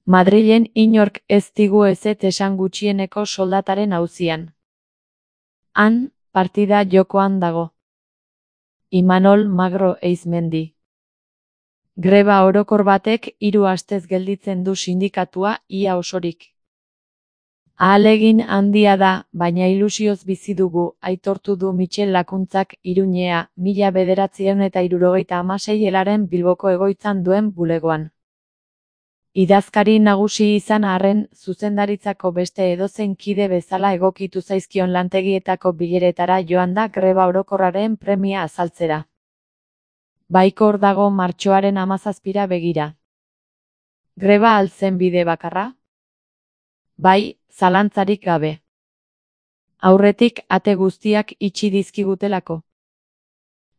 Madrilen inork ez digu ezetz esan gutxieneko soldataren auzian. Han, partida jokoan dago. Imanol Magro Eizmendi. Greba orokor batek 3 astez gelditzen du sindikatua ia osorik. Ahalegin handia da, baina ilusioz bizi dugu, aitortu du Michel Lakuntzak Irunea 1976 helaren Bilboko egoitzan duen bulegoan. Idazkari nagusi izan arren, zuzendaritzako beste edozein kide bezala egokitu zaizkion lantegietako bileretara joan da greba orokorraren premia azaltzera. Baikor dago martxoaren 17ra begira. Greba al zen bide bakarra? Bai, zalantzarik gabe. Aurretik ate guztiak itxi dizkigutelako.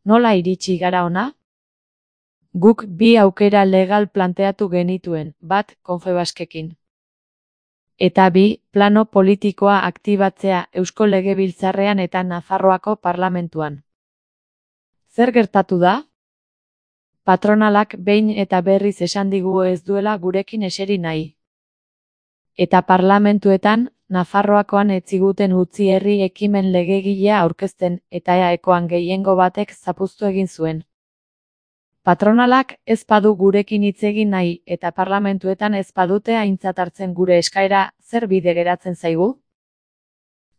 Nola iritsi gara hona? Guk 2 aukera legal planteatu genituen, bat Confebaskekin. Eta 2, plano politikoa aktibatzea Eusko Legebiltzarrean eta Nafarroako Parlamentuan. Zer gertatu da? Patronalak behin eta berriz esan digu ez duela gurekin eseri nahi. Eta parlamentuetan, Nafarroakoan ez ziguten utzi herri ekimen legegilea aurkezten eta EAEkoan gehiengo batek zapuztu egin zuen. Patronalak ez badu gurekin hitz egin nahi eta parlamentuetan ez badute aintzat hartzen gure eskaera, zer bide geratzen zaigu?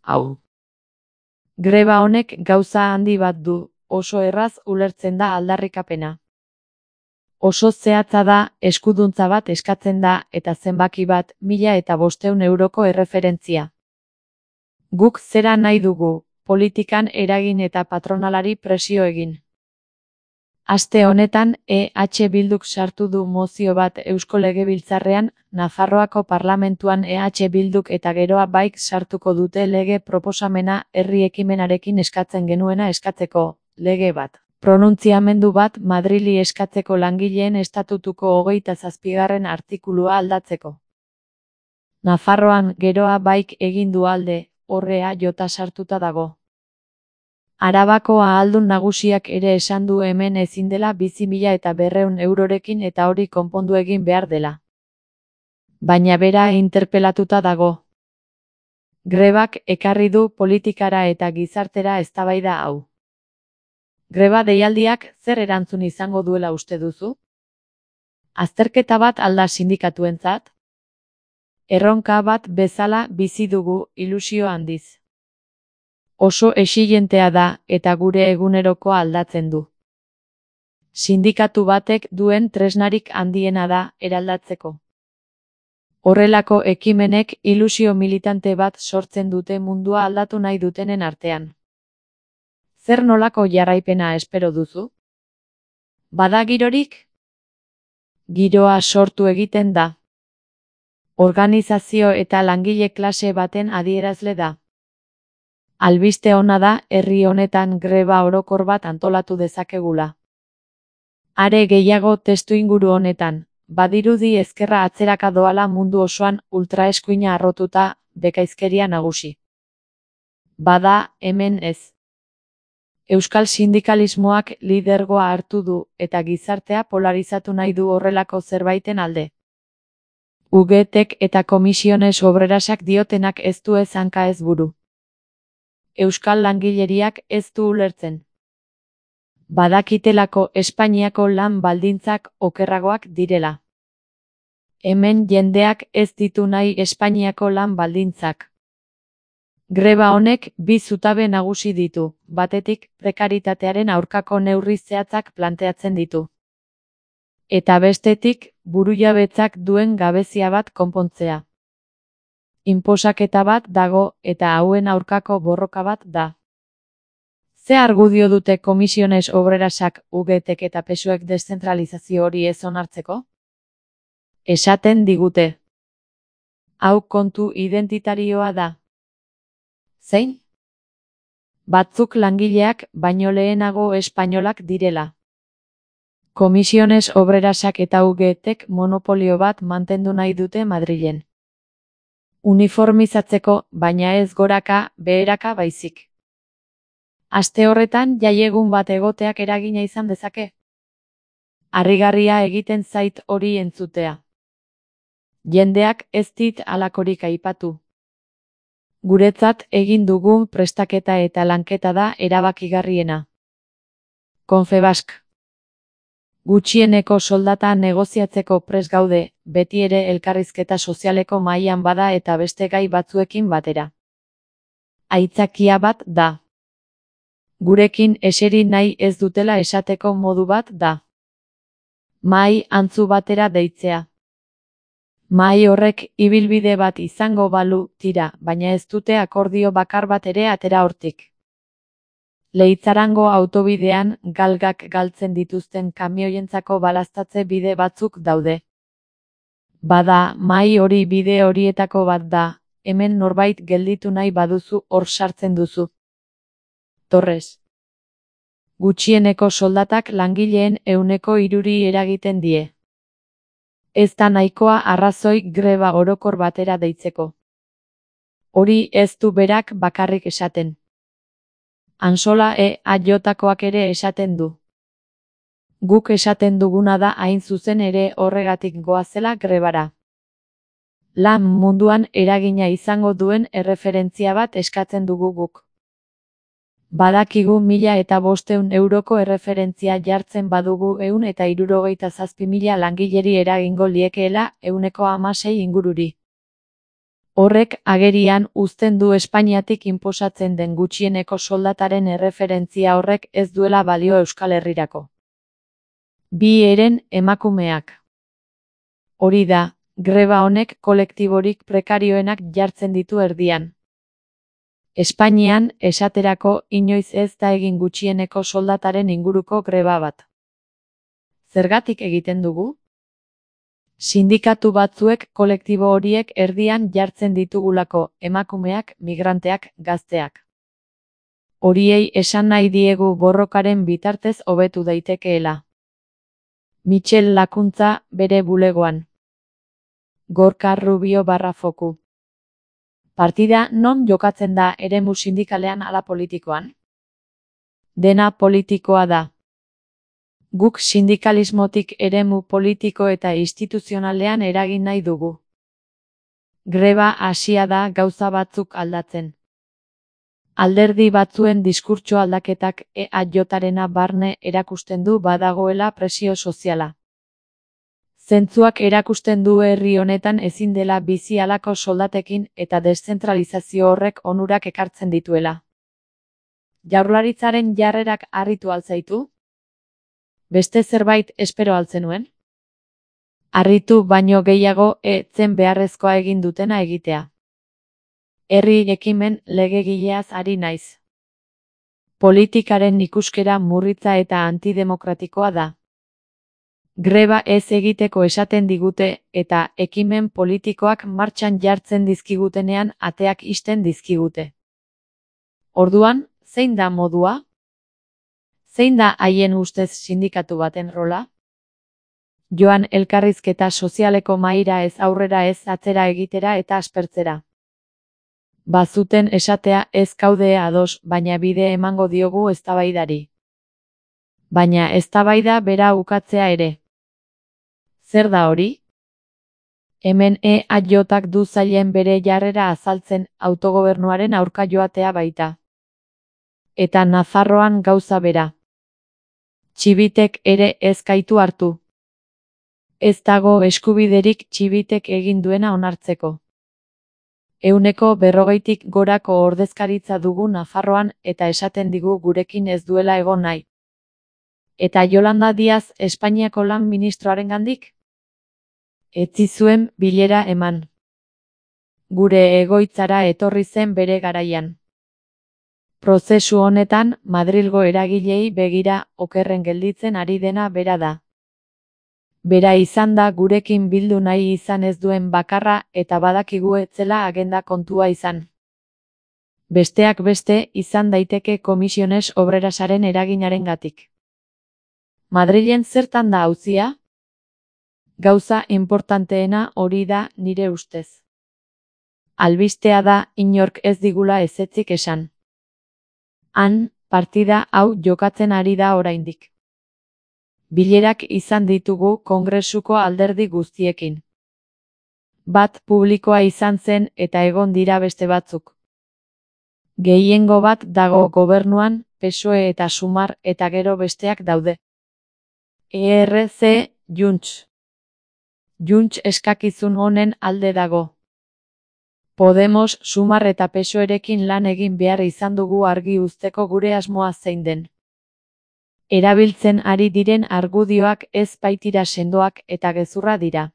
Hau. Greba honek gauza handi bat du, oso erraz ulertzen da aldarrikapena. Oso zehatza da, eskuduntza bat eskatzen da eta zenbaki bat 1.500 euroko erreferentzia. Guk zera nahi dugu, politikan eragin eta patronalari presio egin. Aste honetan, EH Bilduk sartu du mozio bat Eusko Legebiltzarrean, Nafarroako Parlamentuan EH Bilduk eta geroa baik sartuko dute lege proposamena herri ekimenarekin eskatzen genuena eskatzeko, lege bat. Pronuntziamendu bat Madrili eskatzeko langileen estatutuko 27. artikulua aldatzeko. Nafarroan geroa baik egin du alde, horrea jota sartuta dago. Arabako ahaldun nagusiak ere esan du hemen ezin dela bizi 1.200 eurorekin eta hori konpondu egin behar dela. Baina bera interpelatuta dago. Grebak ekarri du politikara eta gizartera eztabaida hau. Greba deialdiak zer erantzun izango duela uste duzu? Azterketa bat alda sindikatuentzat? Erronka bat bezala bizi dugu ilusio handiz. Oso exigentea da eta gure egunerokoa aldatzen du. Sindikatu batek duen tresnarik handiena da eraldatzeko. Horrelako ekimenek ilusio militante bat sortzen dute mundua aldatu nahi dutenen artean. Zer nolako jarraipena espero duzu? Bada girorik? Giroa sortu egiten da. Organizazio eta langile klase baten adierazle da. Albiste ona da herri honetan greba orokor bat antolatu dezakegula. Are gehiago testuinguru honetan, badirudi ezkerra atzeraka doala mundu osoan ultraeskuina arrotuta, bekaizkeria nagusi. Bada, hemen ez. Euskal sindikalismoak lidergoa hartu du eta gizartea polarizatu nahi du horrelako zerbaiten alde. UGTek eta Komisiones Obrerasak diotenak ez du ez hanka ez buru. Euskal langileriak ez du ulertzen. Badakitelako Espainiako lan baldintzak okerragoak direla. Hemen jendeak ez ditu nahi Espainiako lan baldintzak. Greba honek 2 zutabe nagusi ditu, batetik prekaritatearen aurkako neurri zehatzak planteatzen ditu. Eta bestetik, burujabetzak duen gabezia bat konpontzea. Inposaketa bat dago eta hauen aurkako borroka bat da. Ze argudio dute Komisiones Obrerasak, UGTek eta PSOEk deszentralizazio hori ez onartzeko? Esaten digute. Hau kontu identitarioa da. Zein? Batzuk langileak baino lehenago espainolak direla. Komisiones Obrerasak eta UGTek monopolio bat mantendu nahi dute Madrilen. Uniformizatzeko, baina ez goraka, beheraka baizik. Aste horretan jaiegun bat egoteak eragina izan dezake. Harrigarria egiten zait hori entzutea. Jendeak ez dit halakorik aipatu. Guretzat egin dugun prestaketa eta lanketa da erabakigarriena. Confebask. Gutxieneko soldata negoziatzeko prest gaude, beti ere elkarrizketa sozialeko mahaian bada eta beste gai batzuekin batera. Aitzakia bat da. Gurekin eseri nahi ez dutela esateko modu bat da. Mahai antzu batera deitzea. Mahai horrek ibilbide bat izango balu tira, baina ez dute akordio bakar bat ere atera hortik. Leitzarango autobidean galgak galtzen dituzten kamioientzako balaztatze bide batzuk daude. Bada, mahai hori bide horietako bat da, hemen norbait gelditu nahi baduzu hor sartzen duzu. Torres. Gutxieneko soldatak langileen 3% eragiten die. Ez da nahikoa arrazoi greba orokor batera deitzeko. Hori ez du berak bakarrik esaten. Ansola EAJkoak ere esaten du. Guk esaten duguna da hain zuzen ere horregatik goazela grebara. Lan munduan eragina izango duen erreferentzia bat eskatzen dugu guk. Badakigu 1.500 euroko erreferentzia jartzen badugu 167.000 langileri eragingo liekeela 16% ingururi. Horrek agerian uzten du Espainiatik inposatzen den gutxieneko soldataren erreferentzia horrek ez duela balio Euskal Herrirako. Bi eren emakumeak. Hori da, greba honek kolektiborik prekarioenak jartzen ditu erdian. Espainian, esaterako, inoiz ez da egin gutxieneko soldataren inguruko greba bat. Zergatik egiten dugu? Sindikatu batzuek kolektibo horiek erdian jartzen ditugulako, emakumeak, migranteak, gazteak. Horiei esan nahi diegu borrokaren bitartez hobetu daitekeela. Michel Lakuntza, bere bulegoan. Gorka Rubio /foku. Partida non jokatzen da eremu sindikalean ala politikoan? Dena politikoa da. Guk sindikalismotik eremu politiko eta instituzionalean eragin nahi dugu. Greba hasia da gauza batzuk aldatzen. Alderdi batzuen diskurtso aldaketak EAJarena barne erakusten du badagoela presio soziala. Zentzuak erakusten du herri honetan ezin dela bizi halako soldatekin eta deszentralizazio horrek onurak ekartzen dituela. Jaurlaritzaren jarrerak harritu al zaitu? Beste zerbait espero al zenuen? Harritu baino gehiago zen beharrezkoa egin dutena egitea. Herri ekimen legegileaz ari naiz. Politikaren ikuskera murritza eta antidemokratikoa da. Greba ez egiteko esaten digute eta ekimen politikoak martxan jartzen dizkigutenean ateak ixten dizkigute. Orduan, zein da modua? Zein da haien ustez sindikatu baten rola? Joan elkarrizketa sozialeko mahaira ez aurrera ez atzera egitera eta aspertzera. Bazuten esatea ez gaude ados, baina bide emango diogu eztabaidari. Baina eztabaida bera ukatzea ere. Zer da hori? Hemen EAJak du zailen bere jarrera azaltzen autogobernuaren aurka joatea baita. Eta Nafarroan gauza bera. Txibitek ere ez gaitu hartu. Ez dago eskubiderik Txibitek egin duena onartzeko. 140tik gorako ordezkaritza dugu Nafarroan eta esaten digu gurekin ez duela egon nahi. Eta Yolanda Díaz Espainiako lan ministroarengandik? Ez zizuen bilera eman. Gure egoitzara etorri zen bere garaian. Prozesu honetan, Madrilgo eragilei begira okerren gelditzen ari dena bera da. Bera izan da gurekin bildu nahi izan ez duen bakarra eta badakigu ez zela agenda kontua izan. Besteak beste izan daiteke Komisiones Obrerasaren eraginarengatik. Madrilen zertan da auzia? Gauza inportanteena hori da nire ustez. Albistea da inork ez digula ezetzik esan. Han, partida hau jokatzen ari da oraindik. Bilerak izan ditugu Kongresuko alderdi guztiekin. bat publikoa izan zen eta egon dira beste batzuk. Gehiengo bat dago gobernuan, PSOE eta Sumar eta gero besteak daude. ERC, Junts. Junts eskakizun honen alde dago. Podemos, Sumar eta PSOErekin lan egin behar izan dugu argi uzteko gure asmoa zein den. Erabiltzen ari diren argudioak ez baitira sendoak eta gezurra dira.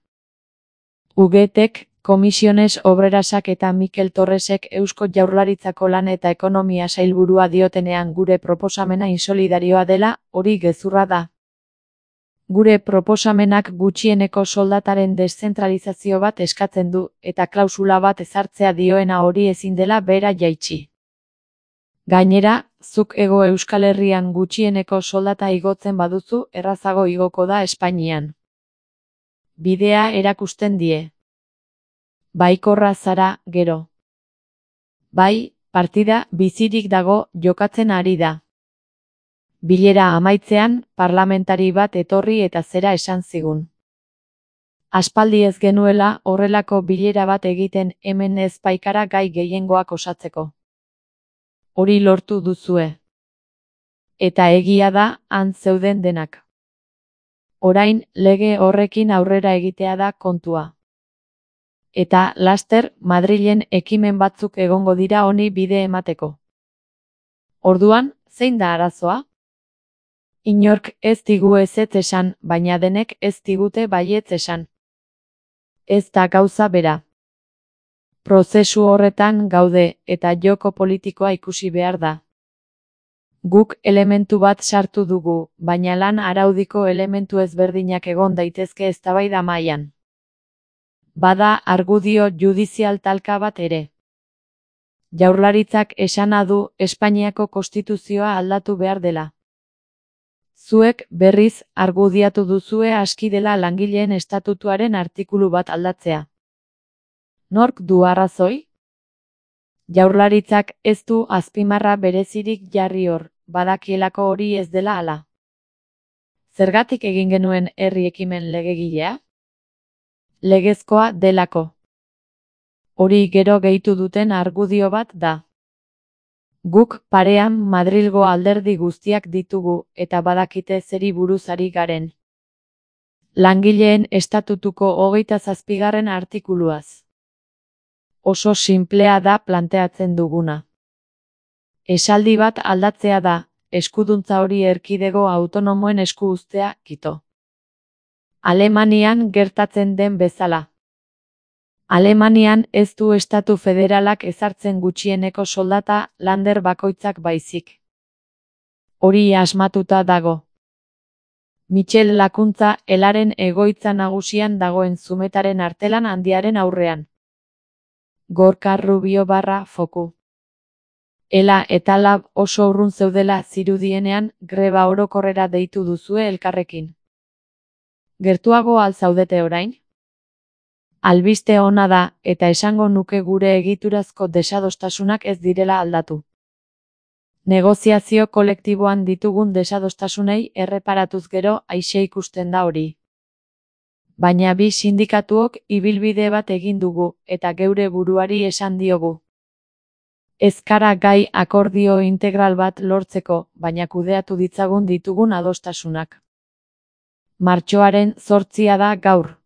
UGTek, Komisiones Obrerasak eta Mikel Torresek Eusko Jaurlaritzako lan eta ekonomia sailburua diotenean gure proposamena insolidarioa dela, hori gezurra da. Gure proposamenak gutxieneko soldataren deszentralizazio bat eskatzen du, eta klausula bat ezartzea dioena hori ezin dela behera jaitsi. Gainera, zuk Hego Euskal Herrian gutxieneko soldata igotzen baduzu, errazago igoko da Espainian. Bidea erakusten die. Baikorra zara, gero. Bai, partida bizirik dago, jokatzen ari da. Bilera amaitzean, parlamentari bat etorri eta zera esan zigun. Aspaldi ez genuela horrelako bilera bat egiten hemen ez baikara gai gehiengoak osatzeko. Hori lortu duzue. Eta egia da, han zeuden denak. Orain, lege horrekin aurrera egitea da kontua. Eta, laster, Madrilen ekimen batzuk egongo dira honi bide emateko. Orduan, zein da arazoa? Inork ez digu ezetz esan, baina denek ez digute baietz esan. Ez da gauza bera. Prozesu horretan gaude eta joko politikoa ikusi behar da. Guk elementu bat sartu dugu, baina lan araudiko elementu ezberdinak egon daitezke eztabaida mailan. Bada argudio judizial talka bat ere. Jaurlaritzak esana du Espainiako konstituzioa aldatu behar dela. Zuek berriz argudiatu duzue aski dela langileen estatutuaren artikulu bat aldatzea. Nork du arrazoi? Jaurlaritzak ez du azpimarra berezirik jarri hor, badakielako hori ez dela hala. Zergatik egin genuen herri ekimen legegilea? Legezkoa delako. Hori gero gehitu duten argudio bat da. Guk parean Madrilgo alderdi guztiak ditugu eta badakite zeri buruz ari garen. Langileen estatutuko 27. artikuluaz. Oso sinplea da planteatzen duguna. Esaldi bat aldatzea da, eskuduntza hori erkidego autonomoen esku uztea, kito. Alemanian gertatzen den bezala. Alemanian ez du estatu federalak ezartzen gutxieneko soldata lander bakoitzak baizik. Hori asmatuta dago. Michel Lakuntza Elaren egoitza nagusian dagoen Zumetaren artelan handiaren aurrean. Gorka Rubio /Foku. Ela eta Lab oso urrun zeudela zirudienean greba orokorrera deitu duzue elkarrekin. Gertuago al zaudete orain? Albiste ona da, eta esango nuke gure egiturazko desadostasunak ez direla aldatu. Negoziazio kolektiboan ditugun desadostasunei erreparatuz gero aixe ikusten da hori. Baina bi sindikatuok ibilbide bat egin dugu, eta geure buruari esan diogu. Ez gara gai akordio integral bat lortzeko, baina kudeatu ditzagun ditugun adostasunak. Martxoaren 8 da gaur.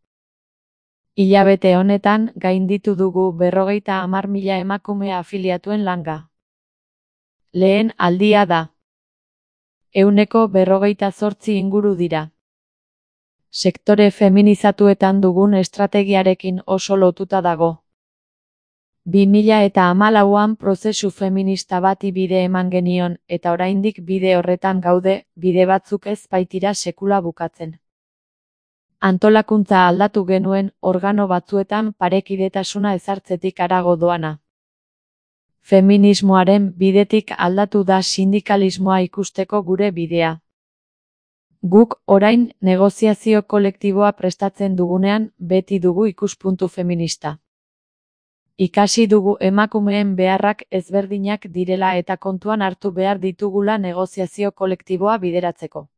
Hilabete honetan gainditu dugu 50.000 emakume afiliatuen langa. Lehen aldia da. 148 inguru dira. Sektore feminizatuetan dugun estrategiarekin oso lotuta dago. 2014an prozesu feminista bati bide eman genion eta oraindik bide horretan gaude, bide batzuk ez baitira sekula bukatzen. Antolakuntza aldatu genuen organo batzuetan parekidetasuna ezartzetik harago doana. Feminismoaren bidetik aldatu da sindikalismoa ikusteko gure bidea. Guk orain negoziazio kolektiboa prestatzen dugunean beti dugu ikuspuntu feminista. Ikasi dugu emakumeen beharrak ezberdinak direla eta kontuan hartu behar ditugula negoziazio kolektiboa bideratzeko.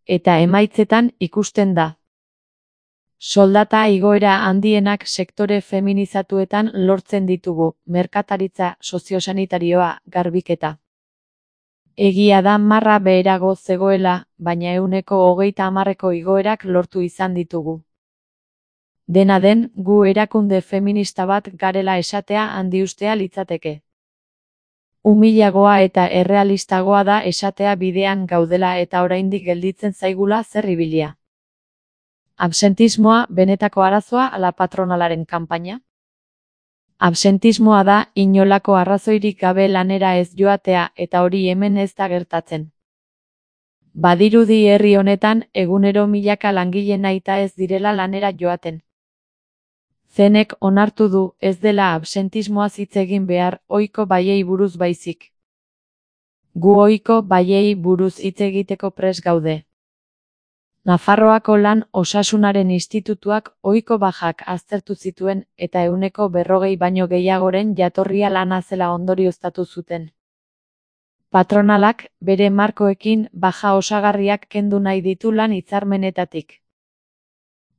Eta emaitzetan ikusten da. Soldata igoera handienak sektore feminizatuetan lortzen ditugu, merkataritza, soziosanitarioa, garbiketa. Egia da marra beherago zegoela, baina 30% igoerak lortu izan ditugu. Dena den, gu erakunde feminista bat garela esatea handiustea litzateke. Umilagoa eta errealistagoa da esatea bidean gaudela eta oraindik gelditzen zaigula zer ibilia. Absentismoa benetako arazoa ala patronalaren kanpaina? Absentismoa da inolako arrazoirik gabe lanera ez joatea eta hori hemen ez da gertatzen. Badirudi herri honetan egunero milaka langile nahita ez direla lanera joaten. Zenek onartu du ez dela absentismoaz hitz egin behar ohiko baiei buruz baizik. Gu ohiko baiei buruz hitz egiteko prest gaude. Nafarroako lan osasunaren institutuak ohiko bajak aztertu zituen eta 40% baino gehiagoren jatorria lana zela ondorioztatu zuten. Patronalak bere markoekin baja osagarriak kendu nahi ditu lan hitzarmenetatik.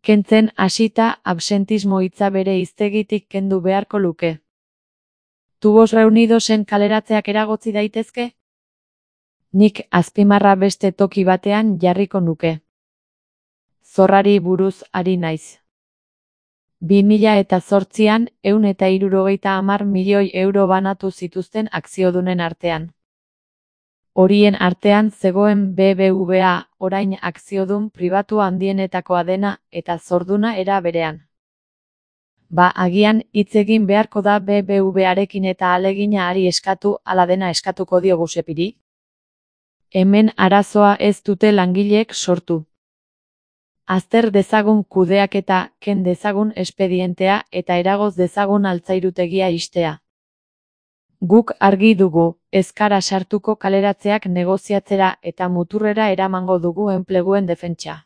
Kentzen hasita absentismo hitza bere hiztegitik kendu beharko luke. Tubos reunidosen kaleratzeak eragotzi daitezke? Nik azpimarra beste toki batean jarriko nuke. Zorrari buruz ari naiz. 2008an 170 milioi euro banatu zituzten akziodunen artean. Horien artean zegoen BBVA, orain akziodun pribatu handienetakoa dena eta zorduna era berean. Agian hitz egin beharko da BBVarekin eta ahalegina hari eskatu ala dena eskatuko diogu Sepiri? Hemen arazoa ez dute langileek sortu. Azter dezagun kudeaketa, ken dezagun espedientea eta eragoz dezagun altzairutegia ixtea. Guk argi dugu, ez gara sartuko kaleratzeak negoziatzera eta muturrera eramango dugu enpleguen defentsa.